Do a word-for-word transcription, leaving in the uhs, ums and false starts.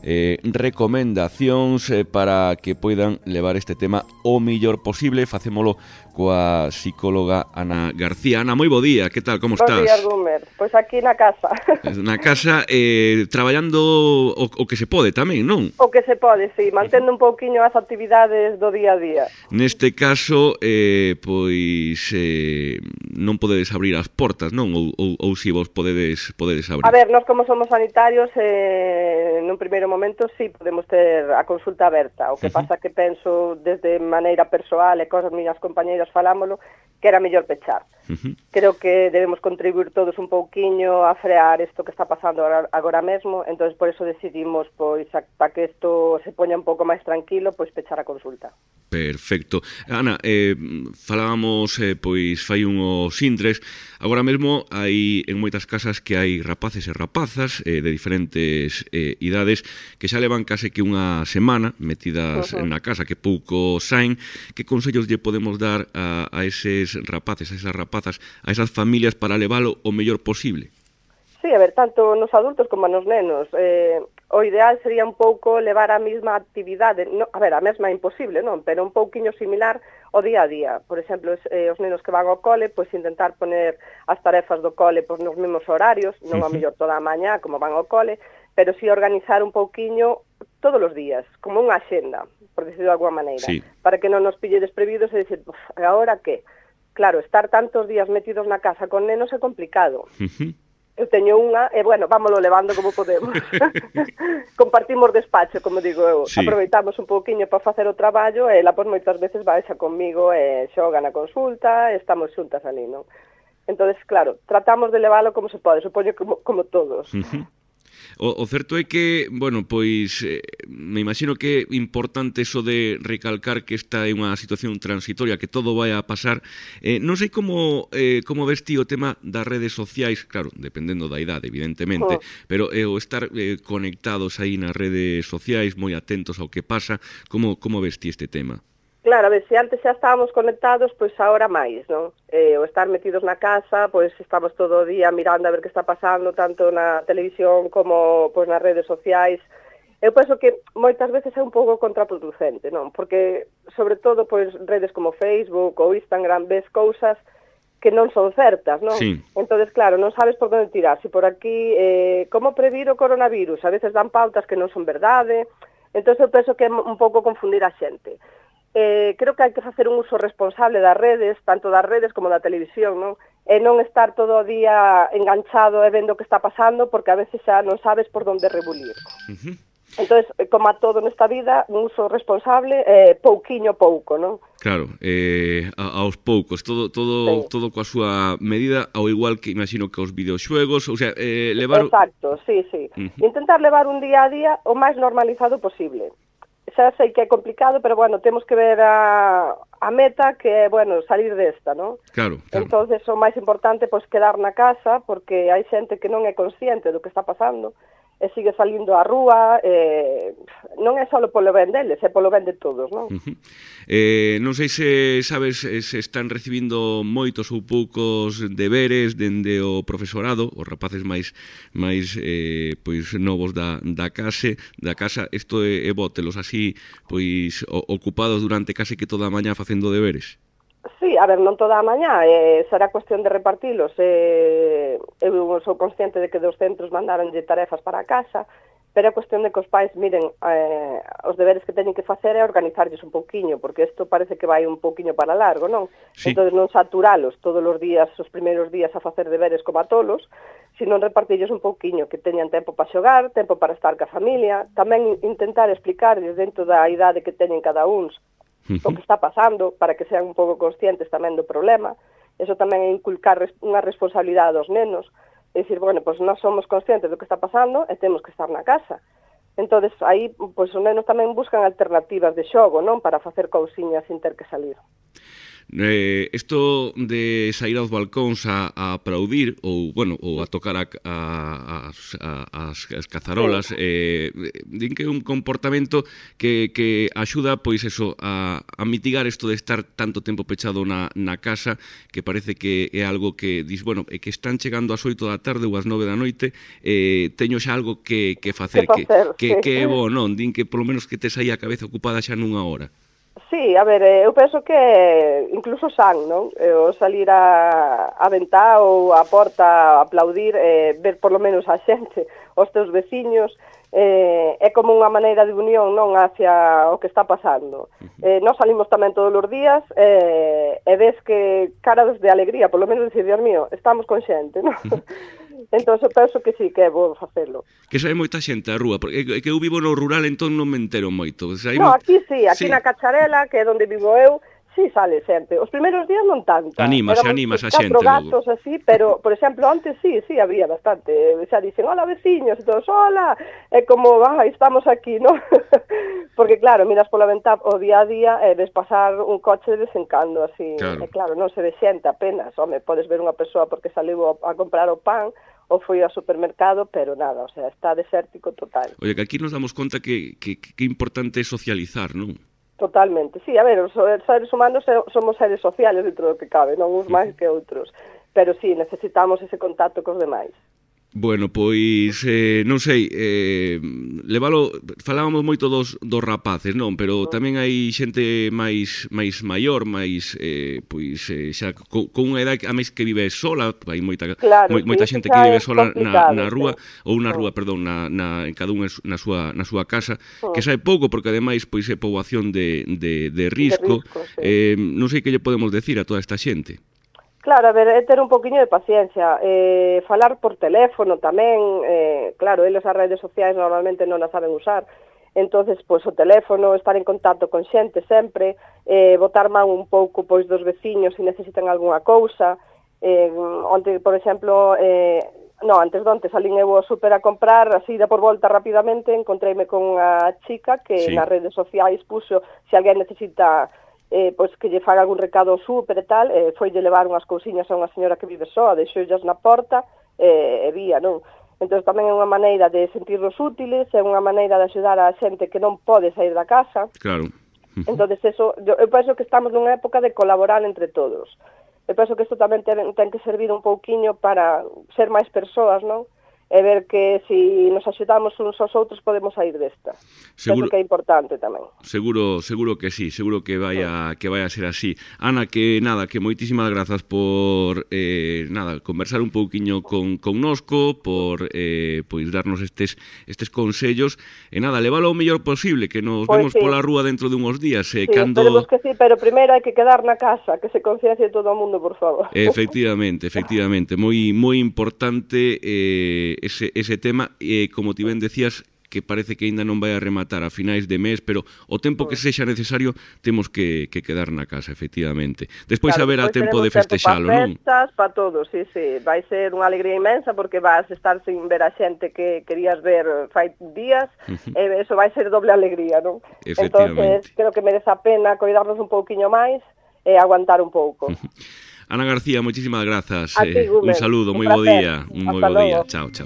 eh, recomendacións eh, para que poidan levar este tema o mellor posible. Facémolo coa psicóloga Ana García. Ana, moi bo día, que tal, como estás? Bos días, Gumer. Pois aquí na casa. Na casa, eh, traballando o, o que se pode tamén, non? O que se pode, sí, mantendo un pouquiño as actividades do día a día. Neste caso, eh, pois eh, non podedes abrir as portas, non? Ou, ou, ou si vos podedes, podedes abrir? A ver, nós como somos sanitarios, eh, nun primeiro momento sí podemos ter a consulta aberta. O que uh -huh. pasa que penso desde maneira persoal e cosas miñas compañeiras falámoslo, que era mellor pechar. Uh -huh. Creo que debemos contribuir todos un pouquiño a frear isto que está pasando agora, agora mesmo, entonces por eso decidimos, pois, para que isto se poña un pouco máis tranquilo, pois pechar a consulta. Perfecto. Ana, eh, falábamos, eh, pois, fai unhos intres, agora mesmo hai en moitas casas que hai rapaces e rapazas eh, de diferentes eh, idades que xa levan case que unha semana metidas uh -huh. na casa, que pouco saen. Que consellos lle podemos dar a, a eses rapaces, a esas rapazas, a esas familias para levalo o mellor posible? Sí, a ver, tanto nos adultos como nos nenos. Eh, o ideal sería un pouco levar a mesma actividade, no, a ver, a mesma é imposible, non? Pero un pouquiño similar ao día a día. Por exemplo, eh, os nenos que van ao cole, pois intentar poner as tarefas do cole pois, nos mesmos horarios, non a mellor toda a mañá, como van ao cole, pero sí organizar un pouquiño todos os días, como unha axenda, por decirlo de alguma maneira, sí. para que non nos pille desprevidos e dicir, agora que? Claro, estar tantos días metidos na casa con nenos é complicado. Uh -huh. Eu teño unha, e bueno, vámoslo levando como podemos. Compartimos despacho, como digo eu. Sí. Aproveitamos un pouquiño para facer o traballo, e ela, pois, moitas veces baixa comigo e xoga na consulta, e estamos xuntas ali, non? Entonces, claro, tratamos de levalo como se pode, supoño como, como todos. Uh -huh. O, o certo é que, bueno, pois eh, me imagino que é importante eso de recalcar que esta é unha situación transitoria, que todo vai a pasar. Eh, non sei como eh, como ves ti o tema das redes sociais, claro, dependendo da idade, evidentemente, oh. pero eh, o estar eh, conectados aí nas redes sociais, moi atentos ao que pasa, como, como ves ti este tema? Claro, a ver, se antes xa estábamos conectados, pois agora máis, non? Eh, o estar metidos na casa, pois estamos todo o día mirando a ver que está pasando, tanto na televisión como pois nas redes sociais. Eu penso que moitas veces é un pouco contraproducente, non? Porque, sobre todo, pois redes como Facebook ou Instagram, ves cousas que non son certas, non? Sí. Entonces, claro, non sabes por onde tirar. Si por aquí, eh, como previr o coronavirus? A veces dan pautas que non son verdade. Entón, eu penso que é un pouco confundir a xente. Eh, creo que hai que facer un uso responsable das redes, tanto das redes como da televisión, non? E non estar todo o día enganchado e vendo o que está pasando, porque a veces xa non sabes por onde rebulir. Uh -huh. Entón, como a todo nesta vida, un uso responsable, eh, pouquiño pouco, non? Claro, eh, a, aos poucos, todo todo sí. todo coa súa medida, ao igual que imagino que os videoxuegos, ou sea, eh, levar... Exacto, sí, sí. Uh -huh. Intentar levar un día a día o máis normalizado posible. Xa sei que é complicado, pero, bueno, temos que ver a, a meta, que é, bueno, salir desta, non? Claro, claro. Entonces, o máis importante, pois, quedar na casa, porque hai xente que non é consciente do que está pasando, e sigue salindo á rúa, eh, non é só polo ben deles, é polo ben de todos, non? Uh -huh. eh, non sei se sabes se están recibindo moitos ou poucos deberes dende o profesorado, os rapaces máis máis eh, pois novos da, da case, da casa, isto é, é botelos así, pois o, ocupados durante case que toda a mañá facendo deberes. Sí, a ver, non toda a mañá, eh, será cuestión de repartilos. Eh, eu sou consciente de que dos centros mandaronlle tarefas para a casa, pero é cuestión de que os pais miren eh, os deberes que teñen que facer e organizarlles un pouquiño, porque isto parece que vai un pouquiño para largo, non? Sí. Entón non saturalos todos os días, os primeiros días a facer deberes como a tolos, sino repartilles un pouquiño, que teñan tempo para xogar, tempo para estar ca familia, tamén intentar explicarlles dentro da idade que teñen cada uns o que está pasando, para que sean un pouco conscientes tamén do problema. Eso tamén é inculcar unha responsabilidade aos nenos, é dicir, bueno, pois nós somos conscientes do que está pasando e temos que estar na casa. Entón, aí, pois os nenos tamén buscan alternativas de xogo, non? Para facer cousiñas sin ter que salir. Eh, isto de sair aos balcóns a, a aplaudir ou, bueno, ou a tocar a, a, a, as, as cazarolas, eh, din que é un comportamento que, que axuda, pois eso, a, a mitigar isto de estar tanto tempo pechado na, na casa, que parece que é algo que dis, bueno, é que están chegando ás oito da tarde ou ás nove da noite, eh, teño xa algo que, que facer, que, que, que é bo, non? Din que polo menos que tes aí a cabeza ocupada xa nunha hora. Sí, a ver, eu penso que incluso san, non? O salir a, a ventá ou a porta a aplaudir, eh, ver por lo menos a xente, os teus veciños, eh, é como unha maneira de unión, non, hacia o que está pasando. Eh, nós salimos tamén todos os días eh, e ves que caras de alegría, por lo menos decir, Dios mío, estamos con xente, non? Entón, eu penso que sí, que é bo facelo. Que sabe moita xente á rúa, porque que eu vivo no rural, entón non me entero moito. O sea, no, mo... aquí sí, aquí sí. Na Cacharela, que é onde vivo eu, sí sale xente. Os primeiros días non tanto. Animas, animas a xente. Catro gatos así, pero, por exemplo, antes sí, sí, había bastante. Xa dicen, hola, veciños, e todos, hola, é como, ah, estamos aquí, non? Porque, claro, miras pola ventá o día a día e ves pasar un coche de vez en cando, así. Claro. E claro, non se ve xente apenas. Home, podes ver unha persoa porque saliu a comprar o pan, ou foi ao supermercado, pero nada, o sea, está desértico total. Oye, que aquí nos damos conta que, que, que importante é socializar, non? Totalmente, sí, a ver, os seres humanos somos seres sociales dentro do que cabe, non uns máis que outros, pero sí, necesitamos ese contacto cos demais. Bueno, pois, eh, non sei, eh, levalo, falábamos moito dos, dos rapaces, non? Pero tamén hai xente máis máis maior, máis, eh, pois, eh, xa con, con unha edad a máis que vive sola, hai moita, claro, moi, moita sí, xente que vive sola na, na rúa, sí. ou na rúa, perdón, na, na, en cada unha na súa, na súa casa, sí. Que sae pouco, porque ademais, pois, é poboación de, de, de risco, de risco sí. eh, non sei que lle podemos decir a toda esta xente. Claro, a ver, é ter un poquinho de paciencia, eh, falar por teléfono tamén, eh, claro, eles as redes sociais normalmente non as saben usar, entonces, pois, o teléfono, estar en contacto con xente sempre, eh, botar man un pouco, pois, dos veciños se necesitan algunha cousa, eh, onte, por exemplo, eh, no, antes de onte salín eu ao super a comprar, así de por volta rapidamente, encontreime con unha chica que sí. Nas redes sociais puxo, se alguén necesita... Eh, pois que lle faga algún recado súper e tal, eh, foi lle levar unhas cousiñas a unha señora que vive soa, deixoullas na porta eh, e vía, non? Entón tamén é unha maneira de sentirnos útiles, é unha maneira de axudar a xente que non pode sair da casa. Claro. Entón, eso, eu, eu penso que estamos nunha época de colaborar entre todos. Eu penso que isto tamén ten, ten que servir un pouquiño para ser máis persoas, non? E ver que se nos axudamos uns aos outros podemos sair desta. Seguro, penso que é importante tamén. Seguro, seguro que sí, seguro que vai a, que vai a ser así. Ana, que nada, que moitísimas grazas por eh, nada, conversar un pouquiño con connosco, por eh, pois darnos estes estes consellos e nada, levalo o mellor posible, que nos pois vemos sí. Pola rúa dentro de uns días, eh, sí, cando esperemos que sí, pero primeiro hai que quedar na casa, que se conciencie todo o mundo, por favor. Efectivamente, efectivamente, moi moi importante eh Ese, ese tema, e eh, como ti ben decías, que parece que aínda non vai a rematar a finais de mes, pero o tempo que sexa necesario temos que, que quedar na casa, efectivamente. Despois claro, haberá tempo de festexalo, non? Para festas, para todo, sí, sí. Vai ser unha alegría inmensa porque vas estar sin ver a xente que querías ver fai días, uh-huh. e eso vai ser doble alegría, non? Entonces, creo que merece a pena cuidarnos un pouquiño máis e aguantar un pouco. Uh-huh. Ana García, moitísimas grazas. Ti, eh, un saludo, moi bo día. Un moi bo día. Chao, chao.